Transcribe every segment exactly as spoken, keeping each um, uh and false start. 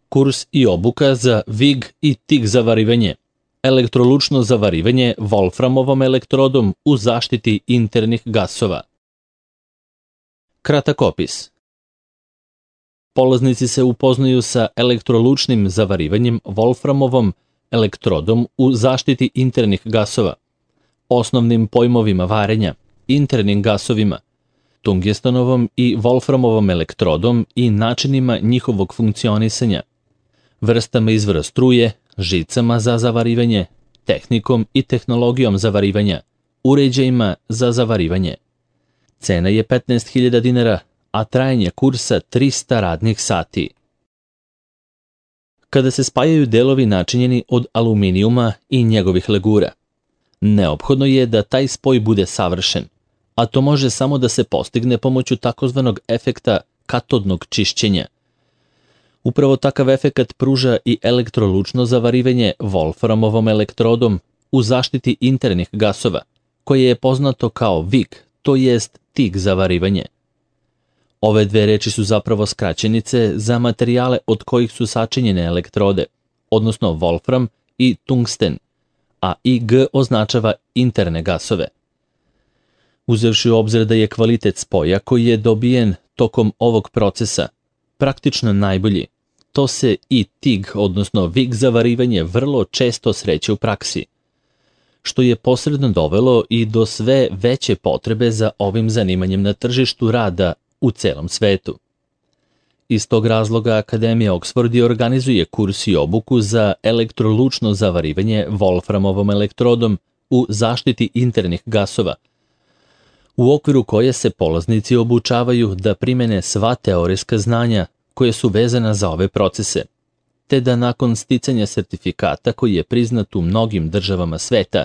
Kurs i obuka za vig i tik zavarivanje, elektrolučno zavarivanje volframovom elektrodom u zaštiti internih gasova. Kratak opis. Polaznici se upoznaju sa elektrolučnim zavarivanjem volframovom elektrodom u zaštiti internih gasova, osnovnim pojmovima varenja, internim gasovima, tungstenovom i volframovom elektrodom i načinima njihovog funkcionisanja, vrstama izvora struje, žicama za zavarivanje, tehnikom i tehnologijom zavarivanja, uređajima za zavarivanje. Cena je petnaest hiljada dinara, a trajanje kursa trista radnih sati. Kada se spajaju delovi načinjeni od aluminijuma i njegovih legura, neophodno je da taj spoj bude savršen, a to može samo da se postigne pomoću takozvanog efekta katodnog čišćenja. Upravo takav efekat pruža i elektrolučno zavarivanje volframovom elektrodom u zaštiti internih gasova, koje je poznato kao vig, to jest tik zavarivanje. Ove dve reči su zapravo skraćenice za materijale od kojih su sačinjene elektrode, odnosno volfram i tungsten, a I G označava interne gasove. Uzevši u obzir da je kvalitet spoja koji je dobijen tokom ovog procesa praktično najbolji, to se i tig, odnosno vig zavarivanje, vrlo često sreće u praksi, što je posredno dovelo i do sve veće potrebe za ovim zanimanjem na tržištu rada u celom svetu. Iz tog razloga Akademija Oxford i organizuje kurs i obuku za elektrolučno zavarivanje volframovom elektrodom u zaštiti internih gasova, u okviru koje se polaznici obučavaju da primene sva teorijska znanja koje su vezana za ove procese, te da nakon sticanja sertifikata koji je priznat u mnogim državama sveta,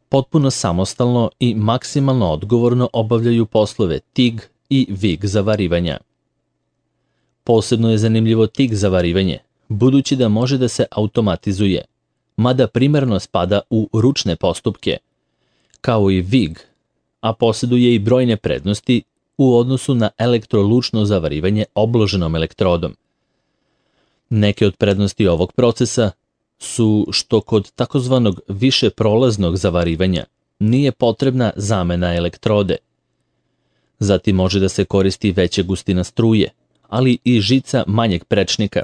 potpuno samostalno i maksimalno odgovorno obavljaju poslove tig i vig zavarivanja. Posebno je zanimljivo tik zavarivanje, budući da može da se automatizuje, mada primarno spada u ručne postupke, kao i vig, a posjeduje i brojne prednosti u odnosu na elektrolučno zavarivanje obloženom elektrodom. Neke od prednosti ovog procesa su što kod takozvanog više prolaznog zavarivanja nije potrebna zamena elektrode. Zatim može da se koristi veća gustina struje, ali i žica manjeg prečnika,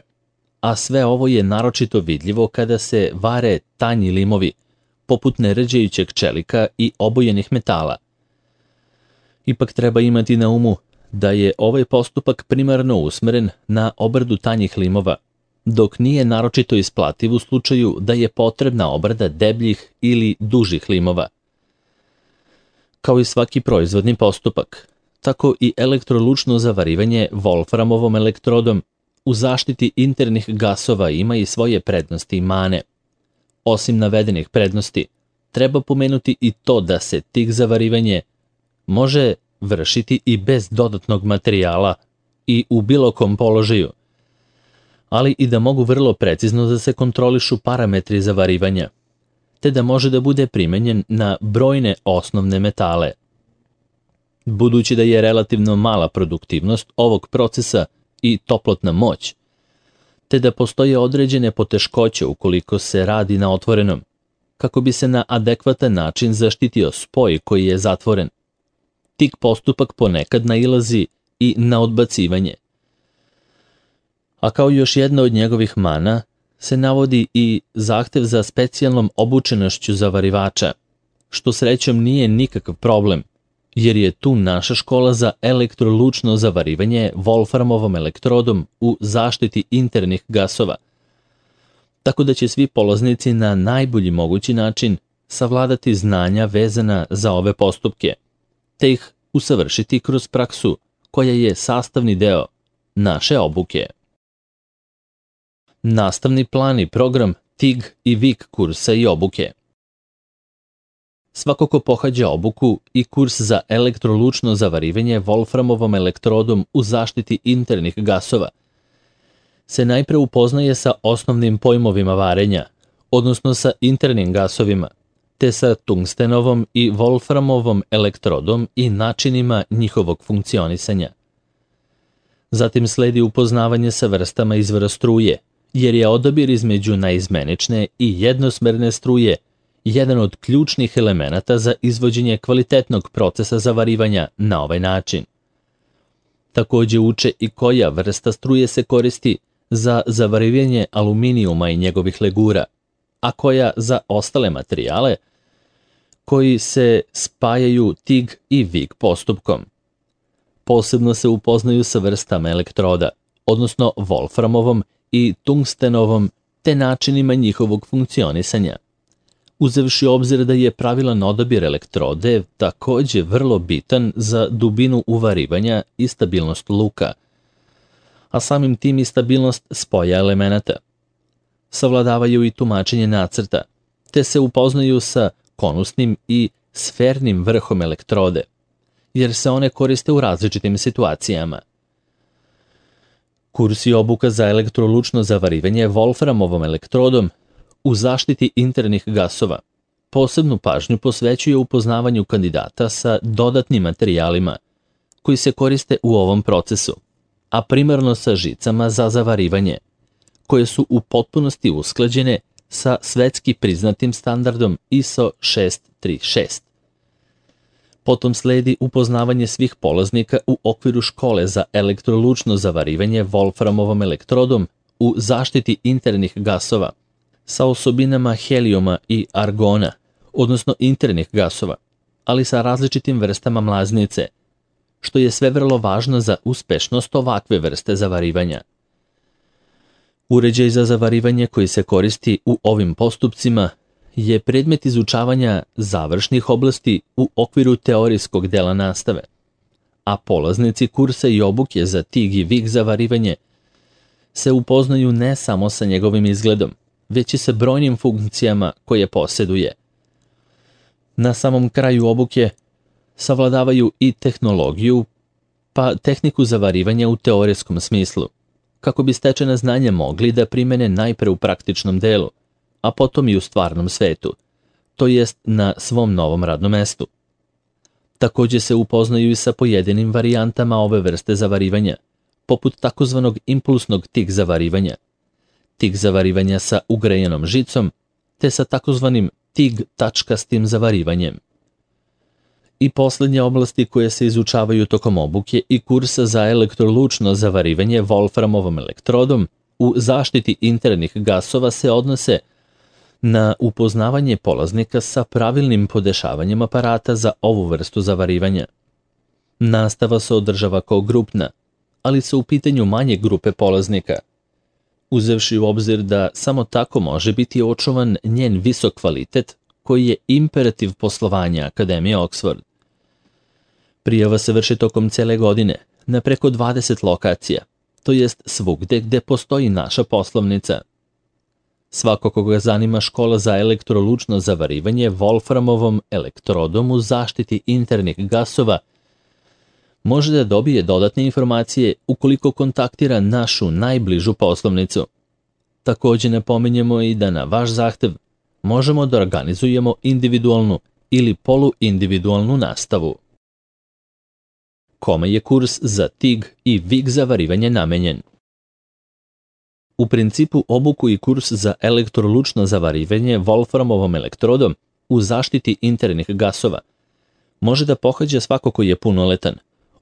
a sve ovo je naročito vidljivo kada se vare tanji limovi, poput neređajućeg čelika i obojenih metala. Ipak treba imati na umu da je ovaj postupak primarno usmeren na obradu tanjih limova, dok nije naročito isplativ u slučaju da je potrebna obrada debljih ili dužih limova. Kao i svaki proizvodni postupak, tako i elektrolučno zavarivanje volframovom elektrodom u zaštiti internih gasova ima i svoje prednosti i mane. Osim navedenih prednosti, treba pomenuti i to da se tik zavarivanje može vršiti i bez dodatnog materijala i u bilo kom položaju, ali i da mogu vrlo precizno da se kontrolišu parametri zavarivanja, te da može da bude primenjen na brojne osnovne metale. Budući da je relativno mala produktivnost ovog procesa i toplotna moć, te da postoje određene poteškoće ukoliko se radi na otvorenom, kako bi se na adekvatan način zaštitio spoj koji je zatvoren, tik postupak ponekad nailazi i na odbacivanje. A kao još jedna od njegovih mana se navodi i zahtev za specijalnom obučenošću zavarivača, što srećom nije nikakav problem, jer je tu naša škola za elektrolučno zavarivanje volframovom elektrodom u zaštiti internih gasova, tako da će svi polaznici na najbolji mogući način savladati znanja vezana za ove postupke, te ih usavršiti kroz praksu koja je sastavni deo naše obuke. Nastavni plan i program tig i vig kursa i obuke. Svako ko pohađa obuku i kurs za elektrolučno zavarivanje volframovom elektrodom u zaštiti internih gasova se najpre upoznaje sa osnovnim pojmovima varenja, odnosno sa internim gasovima, te sa tungstenovom i volframovom elektrodom i načinima njihovog funkcionisanja. Zatim sledi upoznavanje sa vrstama izvora struje, jer je odabir između naizmenične i jednosmerne struje jedan od ključnih elemenata za izvođenje kvalitetnog procesa zavarivanja na ovaj način. Takođe uče i koja vrsta struje se koristi za zavarivanje aluminijuma i njegovih legura, a koja za ostale materijale koji se spajaju T I G i V I G postupkom. Posebno se upoznaju sa vrstama elektroda, odnosno wolframovom i tungstenovom, te načinima njihovog funkcionisanja. Uzevši obzir da je pravilan odabir elektrode takođe vrlo bitan za dubinu uvarivanja i stabilnost luka, a samim tim i stabilnost spoja elemenata. Savladavaju i tumačenje nacrta, te se upoznaju sa konusnim i sfernim vrhom elektrode, jer se one koriste u različitim situacijama. Kurs i obuka za elektrolučno zavarivanje wolframovom elektrodom u zaštiti internih gasova posebnu pažnju posvećuje upoznavanju kandidata sa dodatnim materijalima koji se koriste u ovom procesu, a primarno sa žicama za zavarivanje, koje su u potpunosti usklađene sa svetski priznatim standardom I S O šest tri šest. Potom sledi upoznavanje svih polaznika u okviru škole za elektrolučno zavarivanje wolframovom elektrodom u zaštiti internih gasova sa osobinama helijuma i argona, odnosno internih gasova, ali sa različitim vrstama mlaznice, što je sve vrlo važno za uspešnost ovakve vrste zavarivanja. Uređaj za zavarivanje koji se koristi u ovim postupcima je predmet izučavanja završnih oblasti u okviru teorijskog dela nastave, a polaznici kursa i obuke za T I G i V I G zavarivanje se upoznaju ne samo sa njegovim izgledom, već i sa brojnim funkcijama koje posjeduje. Na samom kraju obuke savladavaju i tehnologiju, pa tehniku zavarivanja u teorijskom smislu, kako bi stečena znanja mogli da primene najpre u praktičnom delu, a potom i u stvarnom svetu, to jest na svom novom radnom mestu. Takođe se upoznaju i sa pojedinim varijantama ove vrste zavarivanja, poput takozvanog impulsnog T I G zavarivanja, T I G zavarivanja sa ugrejenom žicom, te sa takozvanim T I G tačkastim zavarivanjem. I poslednje oblasti koje se izučavaju tokom obuke i kursa za elektrolučno zavarivanje wolframovom elektrodom u zaštiti internih gasova se odnose na upoznavanje polaznika sa pravilnim podešavanjem aparata za ovu vrstu zavarivanja. Nastava se održava kao grupna, ali su u pitanju manje grupe polaznika, uzevši u obzir da samo tako može biti očuvan njen visok kvalitet koji je imperativ poslovanja Akademije Oxford. Prijava se vrši tokom cele godine na preko dvadeset lokacija, to jest svugde gde postoji naša poslovnica. Svako koga zanima škola za elektrolučno zavarivanje wolframovom elektrodom u zaštiti internih gasova može da dobije dodatne informacije ukoliko kontaktira našu najbližu poslovnicu. Takođe napominjemo i da na vaš zahtev možemo da organizujemo individualnu ili poluindividualnu nastavu. Kome je kurs za T I G i V I G zavarivanje namenjen? U principu obuku i kurs za elektrolučno zavarivanje wolframovom elektrodom u zaštiti internih gasova može da pohađa svako ko je punoletan,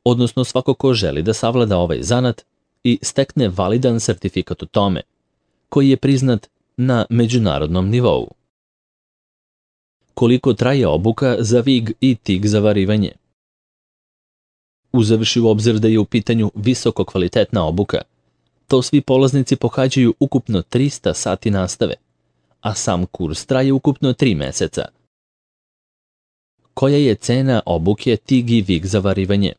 odnosno svako ko želi da savlada ovaj zanat i stekne validan sertifikat o tome, koji je priznat na međunarodnom nivou. Koliko traje obuka za V I G i T I G zavarivanje? Uzevši u obzir da je u pitanju visoko kvalitetna obuka, to svi polaznici pohađaju ukupno trista sati nastave, a sam kurs traje ukupno tri meseca. Koja je cena obuke T I G i V I G zavarivanje?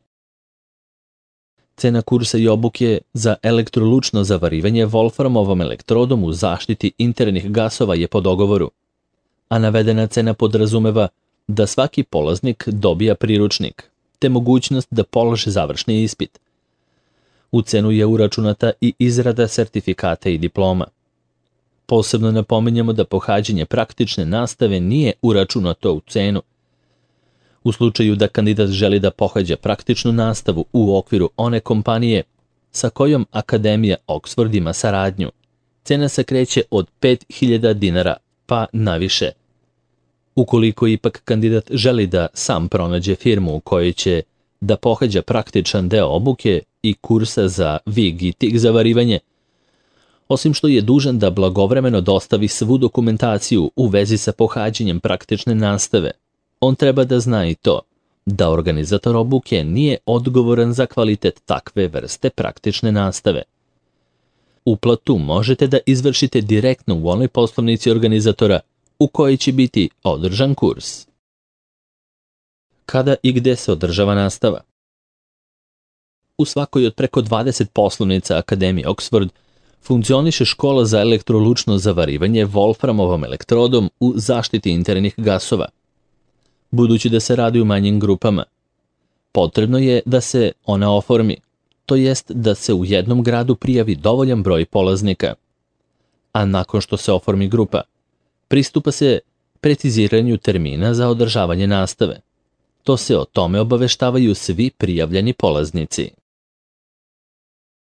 Cena kursa i obuke za elektrolučno zavarivanje wolframovom elektrodom u zaštiti internih gasova je po dogovoru, a navedena cena podrazumeva da svaki polaznik dobija priručnik, te mogućnost da položi završni ispit. U cenu je uračunata i izrada sertifikata i diploma. Posebno napominjemo da pohađanje praktične nastave nije uračunato u cenu. U slučaju da kandidat želi da pohađa praktičnu nastavu u okviru one kompanije sa kojom Akademija Oxford ima saradnju. Cena se kreće od pet hiljada dinara pa naviše. Ukoliko ipak kandidat želi da sam pronađe firmu u kojoj će da pohađa praktičan deo obuke i kursa za vig i tik zavarivanje, osim što je dužan da blagovremeno dostavi svu dokumentaciju u vezi sa pohađanjem praktične nastave, on treba da zna i to da organizator obuke nije odgovoran za kvalitet takve vrste praktične nastave. Uplatu možete da izvršite direktno u onoj poslovnici organizatora u kojoj će biti održan kurs. Kada i gde se održava nastava? U svakoj od preko dvadeset poslovnica Akademije Oxford funkcioniše škola za elektrolučno zavarivanje Wolframovom elektrodom u zaštiti internih gasova. Budući da se radi u manjim grupama, potrebno je da se ona oformi, to jest da se u jednom gradu prijavi dovoljan broj polaznika. A nakon što se oformi grupa, pristupa se preciziranju termina za održavanje nastave. To se o tome obaveštavaju svi prijavljeni polaznici.